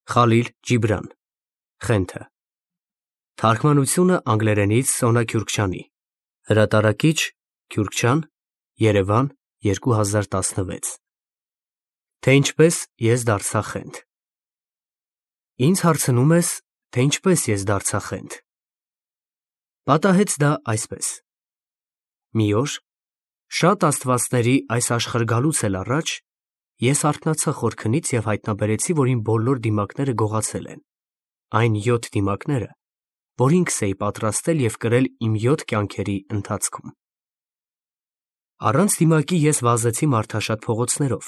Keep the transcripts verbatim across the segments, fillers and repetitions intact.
Խալիլ Ջիբրան, Խենթը։ Թարգմանությունը անգլերենից Սոնա Քյուրքչյանի։ Հրատարակիչ Քյուրքչյան, Երևան, երկու հազար տասնվեց։ Թե ինչպես ես դարձա խենթ։ Ինձ հարցնում ես, թե ինչպես ես դարձա խենթ։ Պատահեց դա այսպես. մի օր, շատ աստվածների այս աշխարհ գալուց էլ առաջ, ես արթնացա խորքնից և հայտնաբերեցի, որ իմ բոլոր դիմակները գողացել են, այն յոթ դիմակները, որ ինքս էի պատրաստել և կրել իմ յոթ կյանքերի ընթացքում։ Առանց դիմակի ես վազեցի մարդաշատ փողոցներով,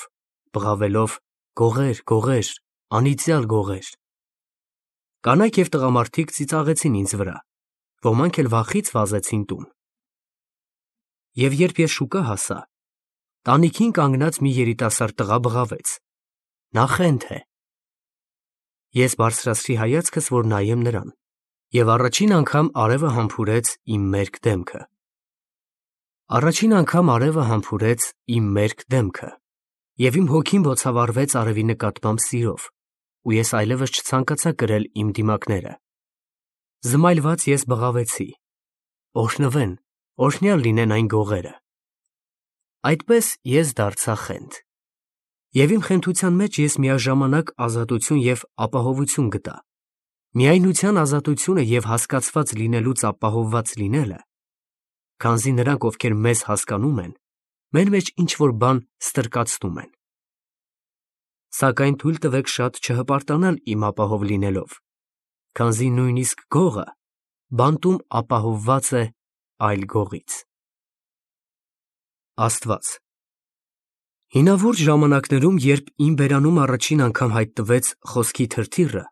բղավելով «գողե՜ր, գողե՜ր, անիծյալ գողե՜ր»։ Կանայք և տղամարդիկ ծիծաղեցին ինձ վրա, ոմանք էլ վախից վազեցին տուն։ Եվ երբ ես շուկա հասա, տանիքին կանգնած մի երիտասարդ տղա բղավեց. «Նա խենթ է»։ Ես բարձրացրի հայացքս, որ նայեմ նրան, և առաջին անգամ արևը համբուրեց իմ մերկ դեմքը։ Առաջին անգամ արևը համբուրեց իմ մերկ դեմքը, և իմ հոգին բոցավառվեց արևի նկատմամբ սիրով, ու ես այլևս չցանկացա կրել իմ դիմակները։ Զմայլված ես բղավեցի. «Օրհնվեն, օրհնյալ լինեն այն գողերը»։ Այդպես ես դարձա խենթ։ Եվ իմ խենթության մեջ ես միաժամանակ ազատություն և ապահովություն գտա։ Միայնության ազատությունը և հասկացված լինելուց ապահովված լինելը, քանզի նրանք, ովքեր մեզ հասկանում են, մեր մեջ ինչ-որ բան ստրկացնում են։ Սակայն թույլ տվեք շատ չհպարտանալ իմ ապահով լինելով, քանզի նույնիսկ գողը բանտում ապահովված է այլ գողից։ Աստված։ Հինավուրց ժամանակներում, երբ իմ բերանում առաջին անգամ հայտնվեց խոսքի թրթիռը,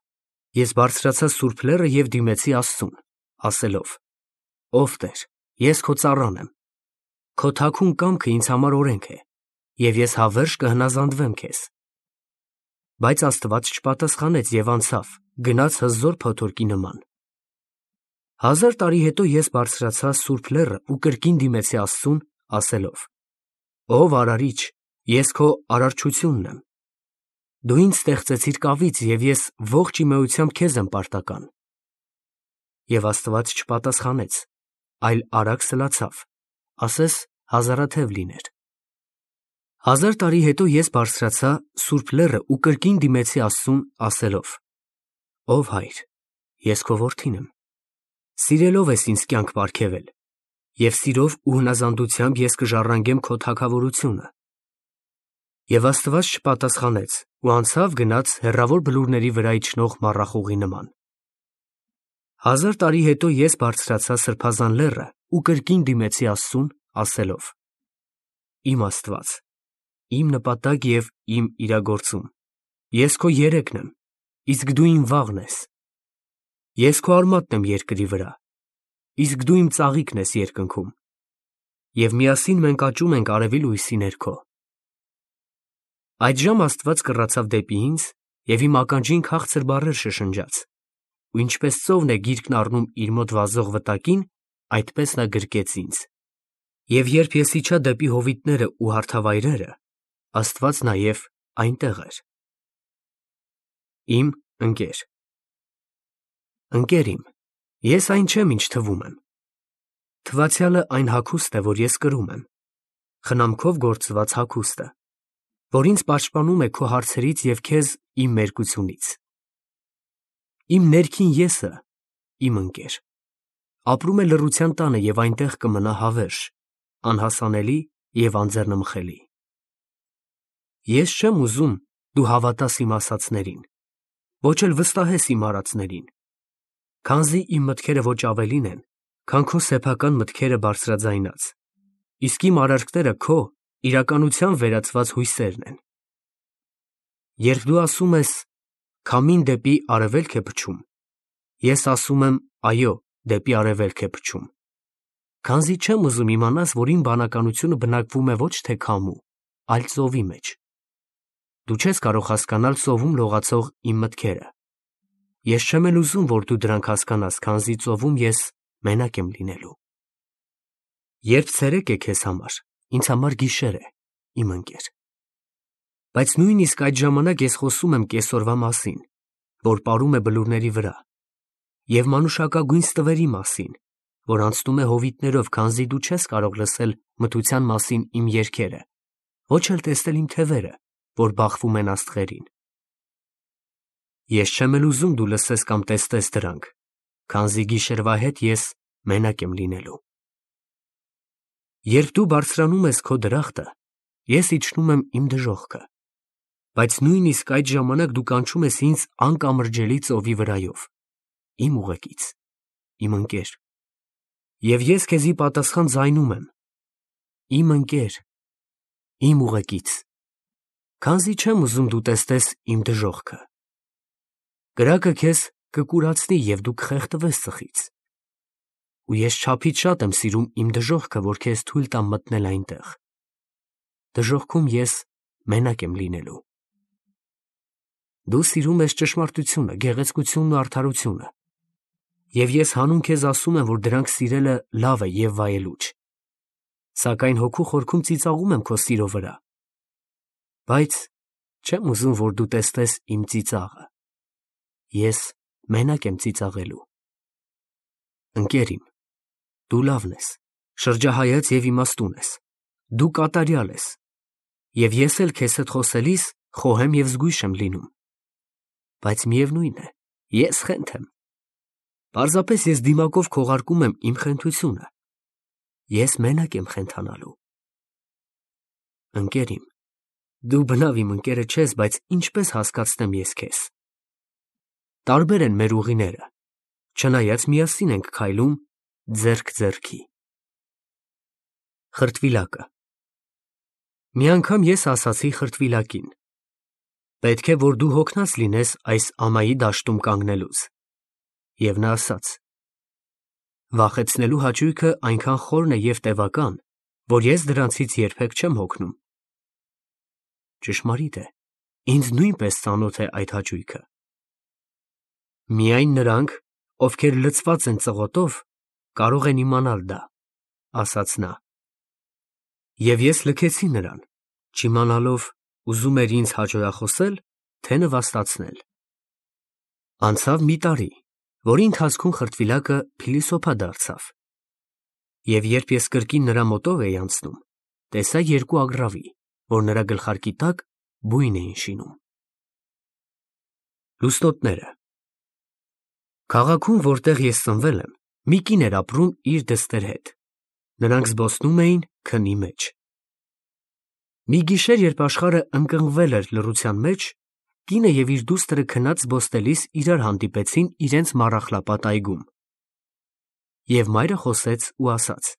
ես բարձրացա Սուրբ Լեռը և դիմեցի Աստծուն, ասելով. «Ով Տեր, ես քո ծառան եմ, քո թաքուն կամքը ինձ համար օրենք է, և ես հավերժ կհնազանդվեմ քեզ»։ Բայց Աստված չպատասխանեց և անցավ, գնաց հզոր փոթորկի նման։ Հազար տարի հետո ես բարձրացա Սուրբ Լեռը ու կրկին դիմեցի Աստծուն, ասելով. «Ով Արարիչ, ես քո արարչությունն եմ։ Դու ինձ ստեղծեցիր կավից, և ես ողջ իմեությամբ քեզ եմ պարտական»։ Եվ Աստված չպատասխանեց, այլ արագ սլացավ, ասես հազարաթև լիներ։ Հազար տարի հետո ես բարձրացա Սուրբ Լեռը ու կրկին դիմեցի Աստծուն, ասելով. «Ով Հայր, ես քո որդին եմ։ Սիրելով ես ինձ կյանք պարգևել, և սիրով ու հնազանդությամբ ես կժառանգեմ քո թագավորությունը»։ Եվ Աստված չպատասխանեց ու անցավ գնաց հեռավոր բլուրների վրա իջնող մառախուղի նման։ Հազար տարի հետո ես բարձրացա Սրբազան լեռը ու կրկին դիմեցի Աստծուն, ասելով. «Իմ Աստված, իմ նպատակ և իմ իրագործում, ես քո երեքն եմ, իսկ դու իմ վաղն ես։ Ես քո արմատն եմ երկրի վրա, իսկ դու իմ ծաղիկն ես երկնքում, և միասին մենք աճում ենք արևի լույսի ներքո»։ Այդժամ Աստված կռացավ դեպի ինձ և իմ ականջին քաղցր բառեր շշնջաց, ու ինչպես ծովն է գիրկն առնում իր մոտ վազող վտակին, այդպես նա գրկեց ինձ։ Եվ երբ ես իջա դեպի հովիտներն ու հարթավայրերը, Աստված նաև այնտեղ էր։ Իմ ընկեր։ Ընկեր իմ, ես այն չեմ, ինչ թվում եմ։ Թվացյալը այն հագուստ է, որ ես կրում եմ, խնամքով գործված հագուստը, որ ինձ պաշտպանում է քո հարցերից և քեզ իմ մերկությունից։ Իմ ներքին եսը, իմ ընկեր, ապրում է լռության տանը և այնտեղ կմնա հավերժ, անհասանելի և անձեռնմխելի։ Ես չեմ ուզում դու հավատաս իմ ասածներին, ոչ էլ վստահես իմ արածներին, քանզի իմ մտքերը ոչ ավելին են, քան քո սեփական մտքերը բարձրաձայնած, իսկ իմ արարքները քո իրականության վերածված հույսերն են։ Երբ դու ասում ես. «Քամին դեպի արևելք է փչում», ես ասում եմ. «Այո, դեպի արևելք է փչում», քանզի չեմ ուզում իմանաս, որ իմ բանականությունը բնակվում է ոչ թե քամու, այլ ծովի մեջ։ Դու չես կարող հասկանալ ծովում լողացող իմ մտքերը։ Ես չեմ էլ ուզում, որ դու դրանք հասկանաս, քանզի ծովում ես մենակ եմ լինելու։ Երբ ցերեկ է քեզ համար, ինձ համար գիշեր է, իմ ընկեր։ Բայց նույնիսկ այդ ժամանակ ես խոսում եմ կեսօրվա մասին, որ պարում է բլուրների վրա, և մանուշակագույն ստվերի մասին, որ անցնում է հովիտներով, քանզի դու չես կարող լսել մթության մասին իմ երգերը, ոչ էլ տեսնել իմ թևերը, որ բախվում են աստղերին։ Ես չեմ էլ ուզում դու լսես կամ տեսնես դրանք, քանզի գիշերվա հետ ես մենակ եմ լինելու։ Երբ դու բարձրանում ես քո դրախտը, ես իջնում եմ իմ դժոխքը, բայց նույնիսկ այդ ժամանակ դու կանչում ես ինձ անկամրջելի ծովի վրայով, իմ ուղեկից, իմ ընկեր, և ես քեզի պատասխան ձայնում եմ, իմ ընկեր, իմ ուղեկից, քանզի չեմ ուզում դու տեսնես իմ դժոխքը։ Կրակը քեզ կկուրացնի և դու կխեղդվես ծխից, ու ես չափից շատ եմ սիրում իմ դժոխքը, որ քեզ թույլ տամ մտնել այնտեղ։ Դժոխքում ես մենակ եմ լինելու։ Դու սիրում ես ճշմարտությունը, գեղեցկությունն ու արդարությունը, և ես հանուն քեզ ասում եմ, որ դրանք սիրելը լավ է և վայելուչ, սակայն հոգու խորքում ծիծաղում եմ քո սիրո վրա, բայց չեմ ուզում, որ դու տեսնես իմ ծիծաղը։ Ես մենակ եմ ծիծաղելու։ Ընկեր իմ, դու լավն ես, շրջահայաց և իմաստուն ես, դու կատարյալ ես, և ես էլ քեզ հետ խոսելիս խոհեմ և զգույշ եմ լինում, բայց միևնույն է, ես խենթ եմ։ Պարզապես ես դիմակով քողարկում եմ իմ խենթությունը, ես մենակ եմ խենթանալու։ Ընկեր իմ, դու բնավ իմ ընկերը չես, բայց ինչպես հասկացնեմ ես քեզ։ Տարբեր են մեր ուղիները, չնայած միասին ենք քայլում ձեռք ձեռքի։ Խրտվիլակը։ Մի անգամ ես ասացի խրտվիլակին. պետք է, որ դու հոգնած լինես այս ամայի դաշտում կանգնելուց, և նա ասաց. վախեցնելու հաճույքը այնքան խորն է և տևական, որ ես դրանցից երբեք չեմ հոգնում։ Ճշմարիտ է, ինձ նույնպես ծանոթ է այդ հաճույքը։ Միայն նրանք, ովքեր լցված են ծղոտով, կարող են իմանալ դա, ասաց նա։ Եվ ես լքեցի նրան, չիմանալով ուզում էր ինձ հաճոյախոսել, թե նվաստացնել։ Անցավ մի տարի, որի ընթացքում խրտվիլակը փիլիսոփա դարձավ, և երբ ես կրկին նրա մոտով էի անցնում, տեսա երկու ագռավի, որ նրա գլխարկի տակ բույն էին շինում։ Լուսնոտները։ Քաղաքում, որտեղ ես ծնվել եմ, մի կին էր ապրում իր դստեր հետ, նրանք զբոսնում էին քնի մեջ։ Մի գիշեր, երբ աշխարհը ընկղմվել էր լռության մեջ, կինը և իր դուստրը քնած զբոսնելիս իրար հանդիպեցին իրենց մառախլապատ այգում։ Եվ մայրը խոսեց ու ասաց.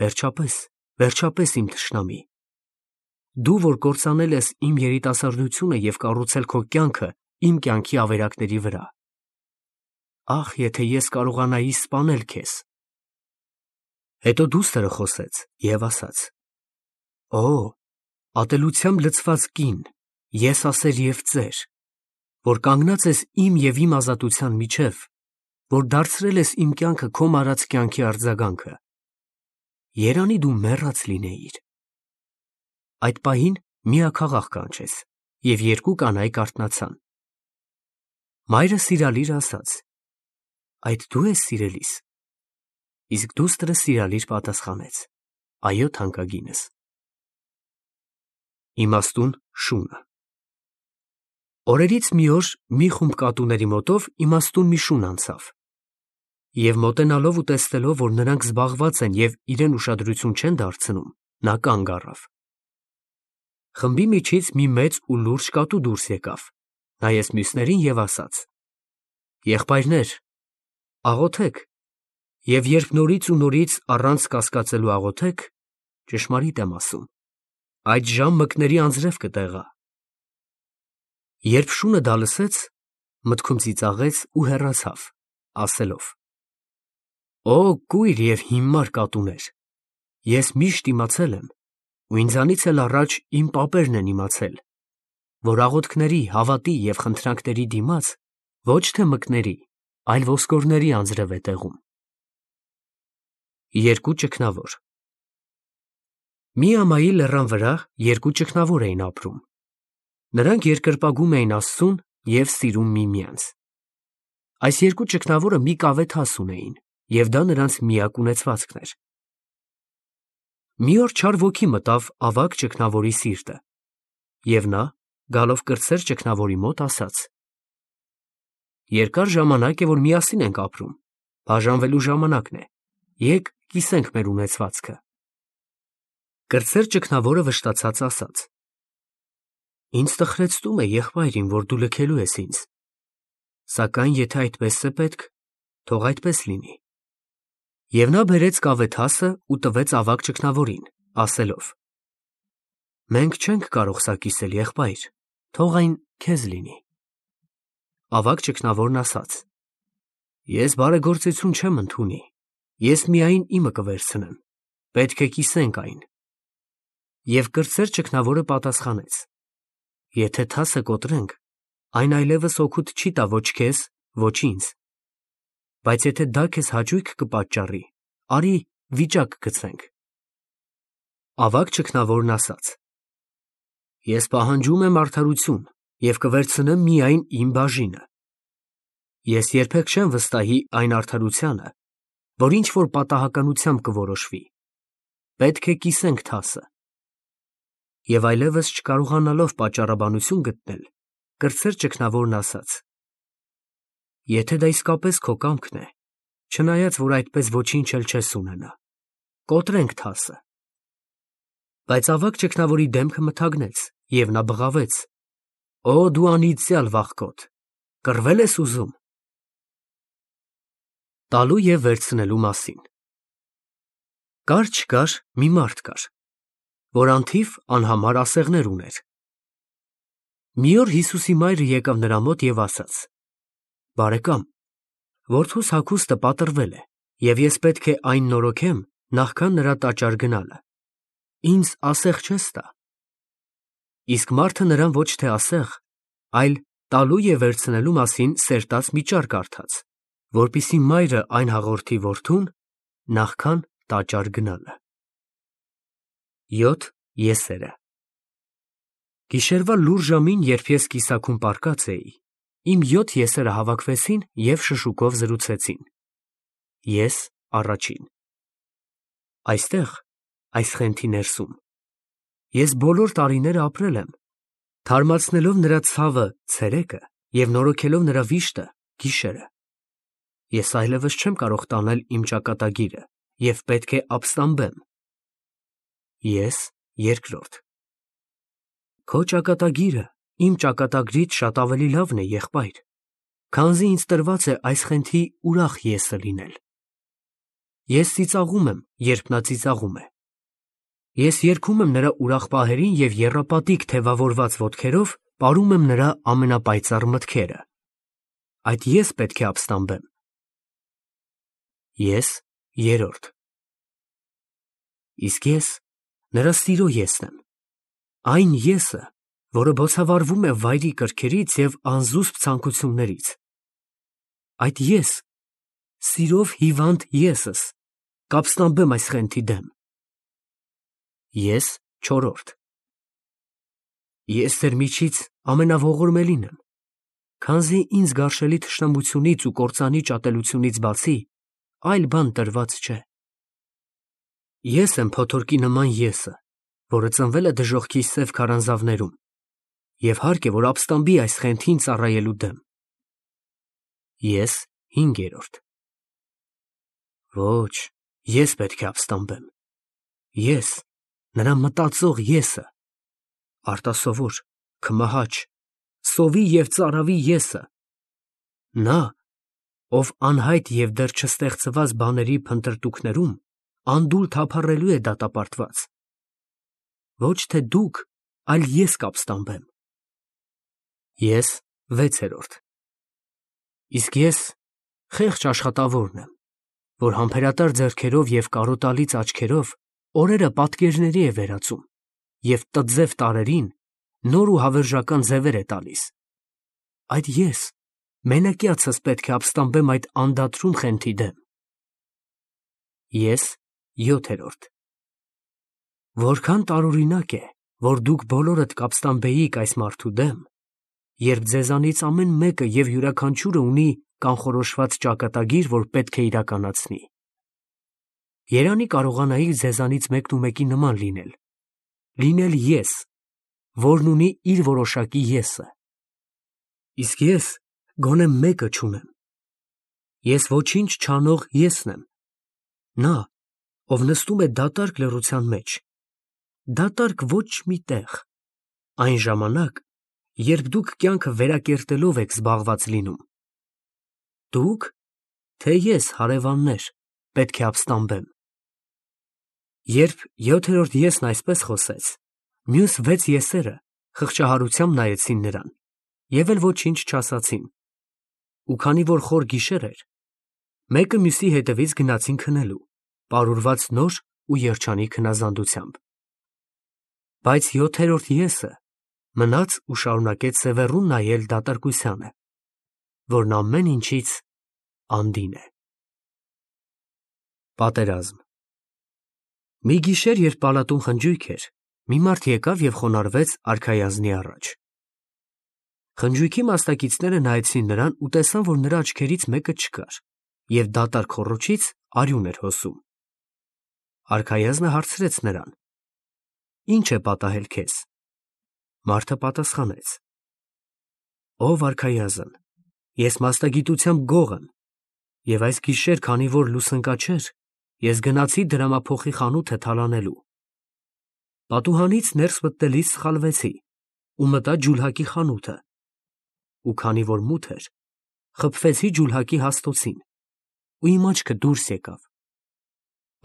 Վերջապես, վերջապես իմ թշնամի, դու, որ կործանել ես իմ երիտասարդությունը և կառուցել քո կյանքը իմ կյանքի ավերակների վրա, ախ, եթե ես կարողանայի սպանել քեզ։ Հետո դուստրը խոսեց և ասաց. Օ, ատելությամբ լցված կին, եսասեր և ծեր, որ կանգնած ես իմ և իմ ազատության միջև, որ դարձրել ես իմ կյանքը քո մարած կյանքի արձագանքը, երանի դու մեռած լինեիր։ Այդ պահին մի աքաղաղ կանչեց, և երկու կանայք արթնացան։ Մայրը սիրալիր ասաց. Այդ դու ես սիրելիս։ Իսկ դուստրը սիրալիր պատասխանեց. Այո, թանկագինս։ Իմաստուն շունը։ Օրերից մի օր մի խումբ կատուների մոտով իմաստուն մի շուն անցավ, և մոտենալով ու տեսնելով, որ նրանք զբաղված են և իրեն ուշադրություն չեն դարձնում, նա կանգ առավ։ Խմբի միջից մի մեծ ու լուրջ կատու դուրս եկավ, նայեց մյուսներին և ասաց. Եղբայրներ, աղոթե՛ք, և երբ նորից ու նորից առանց կասկածելու աղոթեք, ճշմարիտ եմ ասում, այդ ժամ մկների անձրև կտեղա։ Երբ շունը դա լսեց, մտքում ծիծաղեց ու հեռացավ, ասելով. Օ, կույր և հիմար կատուներ, ես միշտ իմացել եմ, ու ինձանից էլ առաջ իմ պապերն են իմացել, որ աղոթքների, հավատի և խնդրանքների դիմաց ոչ թե մկների, այլ ոսկորների անձրև է տեղում։ Երկու ճգնավոր։ Մի ամայի լեռան վրա երկու ճգնավոր էին ապրում։ Նրանք երկրպագում էին Աստծուն, և սիրում միմյանց։ Այս երկու ճգնավորը մի կավե թաս ունեին, և դա նրանց միակ ունեցվածքն էր։ Մի օր չար ոգի մտավ ավագ ճգնավորի սիրտը, և նա, գալով կրտսեր ճգնավորի մոտ, ասաց. «Երկար ժամանակ է, որ միասին ենք ապրում, բաժանվելու ժամանակն է, եկ կիսենք մեր ունեցվածքը»։ Կրտսեր ճգնավորը վշտացած ասաց. «Ինձ տխրեցնում է, եղբայր իմ, որ դու լքելու ես ինձ, սակայն եթե այդպես է պետք, թող այդպես լինի»։ Եվ նա բերեց կավե թասը ու տվեց ավագ ճգնավորին, ասելով. «Մենք չենք կարող սա կիսել, եղբայր, թող այն քեզ լինի»։ Ավագ ճգնավորն ասաց. «Ես բարեգործություն չեմ ընդունի, ես միայն իմը կվերցնեմ, պետք է կիսենք այն»։ Եվ կրտսեր ճգնավորը պատասխանեց. «Եթե թասը կոտրենք, այն այլևս օգուտ չի տա ոչ քեզ, ոչ ինձ, բայց եթե դա քեզ հաճույք կպատճառի, արի վիճակ գցենք»։ Ավագ ճգնավորն ասաց. «Ես պահանջում եմ արդարություն և կվերցնեմ միայն իմ բաժինը։ Ես երբեք չեմ վստահի այն արդարությանը, որ ինչ-որ պատահականությամբ կորոշվի, պետք է կիսենք թասը»։ Եվ այլևս չկարողանալով պատճառաբանություն գտնել, կրտսեր ճգնավորն ասաց. «Եթե դա իսկապես քո կամքն է, չնայած որ այդպես ոչինչ էլ չես ունենա, կոտրենք թասը»։ Բայց ավագ ճգնավորի դեմքը մթագնեց, և նա բղավեց. «Օ դու անիծյալ վախկոտ, կռվե՞լ ես ուզում»։ Տալու և վերցնելու մասին։ Կար֊չկար մի մարդ կար, որ անթիվ անհամար ասեղներ ուներ։ Մի օր Հիսուսի մայրը եկավ նրա մոտ և ասաց. «Բարեկամ, որդուս հագուստը պատռվել է, և ես պետք է այն նորոգեմ, նախքան նրա տաճար գնալը։ Ինձ ասեղ չես տա»։ Իսկ մարդը նրան ոչ թե ասեղ, այլ տալու և վերցնելու մասին սերտած մի ճառ կարդաց, որպեսզի մայրը այն հաղորդի որդուն նախքան տաճար գնալը։ Յոթ եսերը։ Գիշերվա լուռ ժամին, երբ ես կիսաքուն պառկած էի, իմ յոթ եսերը հավաքվեցին և շշուկով զրուցեցին։ Ես առաջին։ Այստեղ, այս խենթի ներսում, ես բոլոր տարիները ապրել եմ, թարմացնելով նրա ցավը ցերեկը և նորոգելով նրա վիշտը գիշերը։ Ես այլևս չեմ կարող տանել իմ ճակատագիրը և պետք է ապստամբեմ։ Ես երկրորդ։ Քո ճակատագիրը իմ ճակատագրից շատ ավելի լավն է, եղբայր, քանզի ինձ տրված է այս խենթի ուրախ եսը լինել։ Ես ծիծաղում եմ, երբ նա ծիծաղում է։ Ես երգում եմ նրա ուրախ պահերին և եռապատիկ թևավորված ոտքերով պարում եմ նրա ամենապայծառ մտքերը։ Այդ ես պետք է ապստամբեմ։ Ես երրորդ։ Իսկ ես նրա սիրո եսն եմ, այն եսը, որը բոցավառվում է վայրի կրքերից և անզուսպ ցանկություններից։ Այդ ես, սիրով հիվանդ եսս, կապստամբեմ այս խենթի դեմ։ Ես չորրորդ։ Ես ձեր միջից ամենաողորմելին եմ, քանզի ինձ գարշելի թշնամությունից ու կործանիչ ատելությունից բացի այլ բան տրված չէ։ Ես եմ փոթորկի նման եսը, որը ծնվել է դժոխքի սև քարանձավներում, և հարկ է, որ ապստամբի այս խենթին ծառայելու դեմ։ Ես հինգերորդ։ Ոչ, ես պետք է ապստամբեմ։ Ես, նրա մտածող եսը, արտասովոր, քմահաճ, սովի և ծարավի եսը, նա, ով անհայտ և դեռ չստեղծված բաների փնտրտուքներում անդուլ թափառելու է դատապարտված։ Ոչ թե դուք, այլ ես կապստամբեմ։ Ես վեցերորդ։ Իսկ ես խեղճ աշխատավորն եմ, որ համբերատար ձեռքերով և կարոտալից աչքերով օրերը պատկերների է վերածում և տձև տարրերին նոր ու հավերժական ձևեր է տալիս։ Այդ ես, մենակյացս պետք է ապստամբեմ այդ անդադրուն խենթի դեմ։ Ես յոթերորդ։ Որքան տարօրինակ է, որ դուք բոլորդ կապստամբեիք այս մարդու դեմ, երբ ձեզանից ամեն մեկը և յուրաքանչյուրը ունի կանխորոշված ճակատագիր, որ պետք է իրականացնի։ Երանի կարողանայի ձեզանից մեկնումեկի նման լինել, լինել ես, որն ունի իր որոշակի եսը։ Իսկ ես գոնե մեկը չունեմ։ Ես ոչինչ չանող եսն եմ, նա, ով նստում է դատարկ լռության մեջ, դատարկ ոչ մի տեղ, այն ժամանակ, երբ դուք կյանքը վերակերտելով եք զբաղված լինում։ Դուք, թե ես, հարևաններ, պետք է ապստամբեմ։ Երբ յոթերորդ եսն այսպես խոսեց, մյուս վեց եսերը խղճահարությամբ նայեցին նրան և էլ ոչինչ չասացին, ու քանի որ խոր գիշեր էր, մեկը մյուսի հետևից գնացին քնելու, պարուրված նոր ու երջանիկ հնազանդությամբ։ Բայց յոթերորդ եսը մնաց ու շարունակեց սևեռուն նայել դատարկությանը, որն ամեն ինչից անդին է։ Պատերազմ։ Մի գիշեր, երբ պալատում խնջույք էր, մի մարդ եկավ և խոնարհվեց արքայազնի առաջ։ Խնջույքի մասնակիցները նայեցին նրան ու տեսան, որ նրա աչքերից մեկը չկար, և դատարկ խոռոչից արյուն էր հոսում։ Արքայազնը հարցրեց նրան. «Ի՞նչ է պատահել քեզ»։ Մարդը պատասխանեց. «Ով արքայազն, ես մասնագիտությամբ գող եմ, և այս գիշեր, քանի որ լուսընկաչեր, ես գնացի դրամափոխի խանութը թալանելու։ Պատուհանից ներս մտնելիս սխալվեցի ու մտա ջուլհակի խանութը, ու քանի որ մութ էր, խփվեցի ջուլհակի հաստոցին, ու իմ աչքը դուրս եկավ։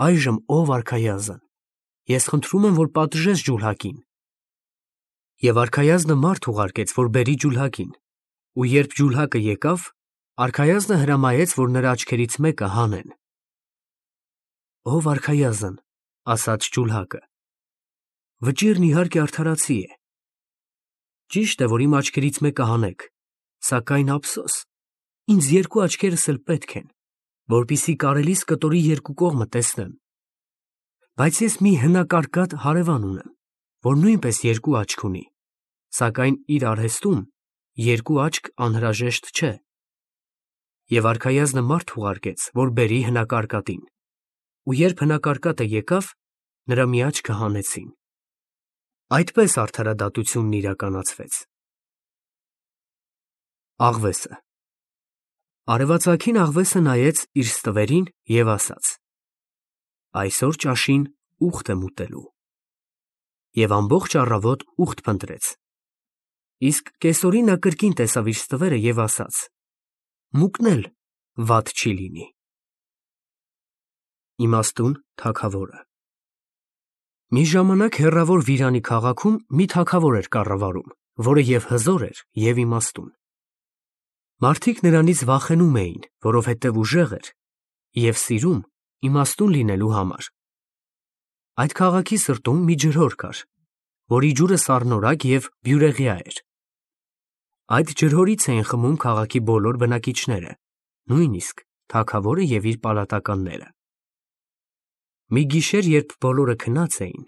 Այժմ, ով արքայազն, ես խնդրում եմ, որ պատժես ջուլհակին»։ Եվ արքայազնը մարդ ուղարկեց, որ բերի ջուլհակին, ու երբ ջուլհակը եկավ, արքայազնը հրամայեց, որ նրա աչքերից մեկը հանեն։ «Ով արքայազն, ասաց ջուլհակը, վճիռն իհարկե արդարացի է։ Ճիշտ է, որ իմ աչքերից մեկը հանեք, սակայն ափսոս, ինձ երկու աչքերս էլ պետք են, որպեսզի կարելիս կտորի երկու կողմը տեսնեմ։ Բայց ես մի հնակարկատ հարևան ունեմ, որ նույնպես երկու աչք ունի, սակայն իր արհեստում երկու աչք անհրաժեշտ չէ։ Եվ արքայազնը մարդ ուղարկեց, որ բերի հնակարկատին, ու երբ հնակարկատը եկավ, նրա մի աչքը հանեցին։ Այդպես արդարադատությունն իրականացվեց։ Աղվեսը։ Արևածագին աղվեսը նայեց իր ստվերին և ասաց. «Այսօր ճաշին ուղտ եմ ուտելու»։ Եվ ամբողջ առավոտ ուղտ փնտրեց։ Իսկ կեսօրին նա կրկին տեսավ իր ստվերը և ասաց. «Մուկն էլ վատ չի լինի»։ Իմաստուն թագավորը։ Մի ժամանակ հեռավոր Վիրանի քաղաքում մի թագավոր էր կառավարում, որը և հզոր էր, և իմաստուն։ Մարդիկ նրանից վախենում էին, որովհետև ուժեղ էր և սիրում իմաստուն լինելու համար։ Այդ քաղաքի սրտում մի ջրհոր կար, որի ջուրը սառնորակ և բյուրեղյա էր։ Այդ ջրհորից էին խմում քաղաքի բոլոր բնակիչները, նույնիսկ թագավորը և իր պալատականները։ Մի գիշեր, երբ բոլորը քնած էին,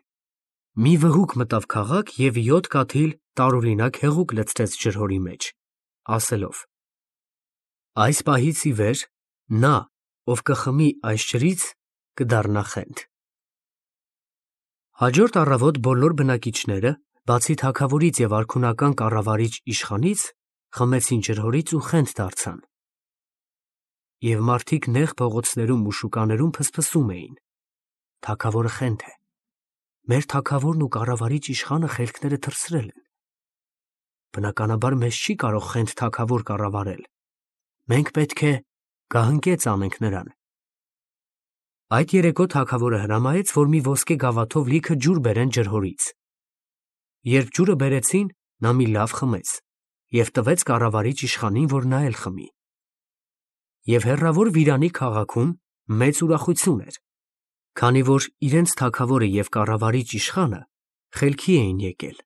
մի վհուկ մտավ քաղաք և յոթ կաթիլ տարօրինակ հեղուկ լցրեց ջրհորի մեջ, ասելով. «Այս պահից ի վեր նա, ով կխմի այս ջրից, կդառնա խենթ»։ Հաջորդ առավոտ բոլոր բնակիչները, բացի թագավորից և արքունական կառավարիչ իշխանից, խմեցին ջրհորից ու խենթ դարձան։ Եվ մարդիկ նեղ փողոցներում ու շուկաներում փսփսում էին. «Թագավորը խենթ է, մեր թագավորն ու կառավարիչ իշխանը խելքները թռցրել են։ Բնականաբար մեզ չի կարող խենթ թագավոր կառավարել, մենք պետք է գահընկեց անենք նրան»։ Այդ երեկո թագավորը հրամայեց, որ մի ոսկե գավաթով լիքը ջուր բերեն ջրհորից։ Երբ ջուրը բերեցին, նա մի լավ խմեց և տվեց կառավարիչ իշխանին, որ նա էլ խմի։ Եվ հեռավոր Վիրանի քաղաքում մեծ ուրախություն էր, քանի որ իրենց թագավորը և կառավարիչ իշխանը խելքի էին եկել։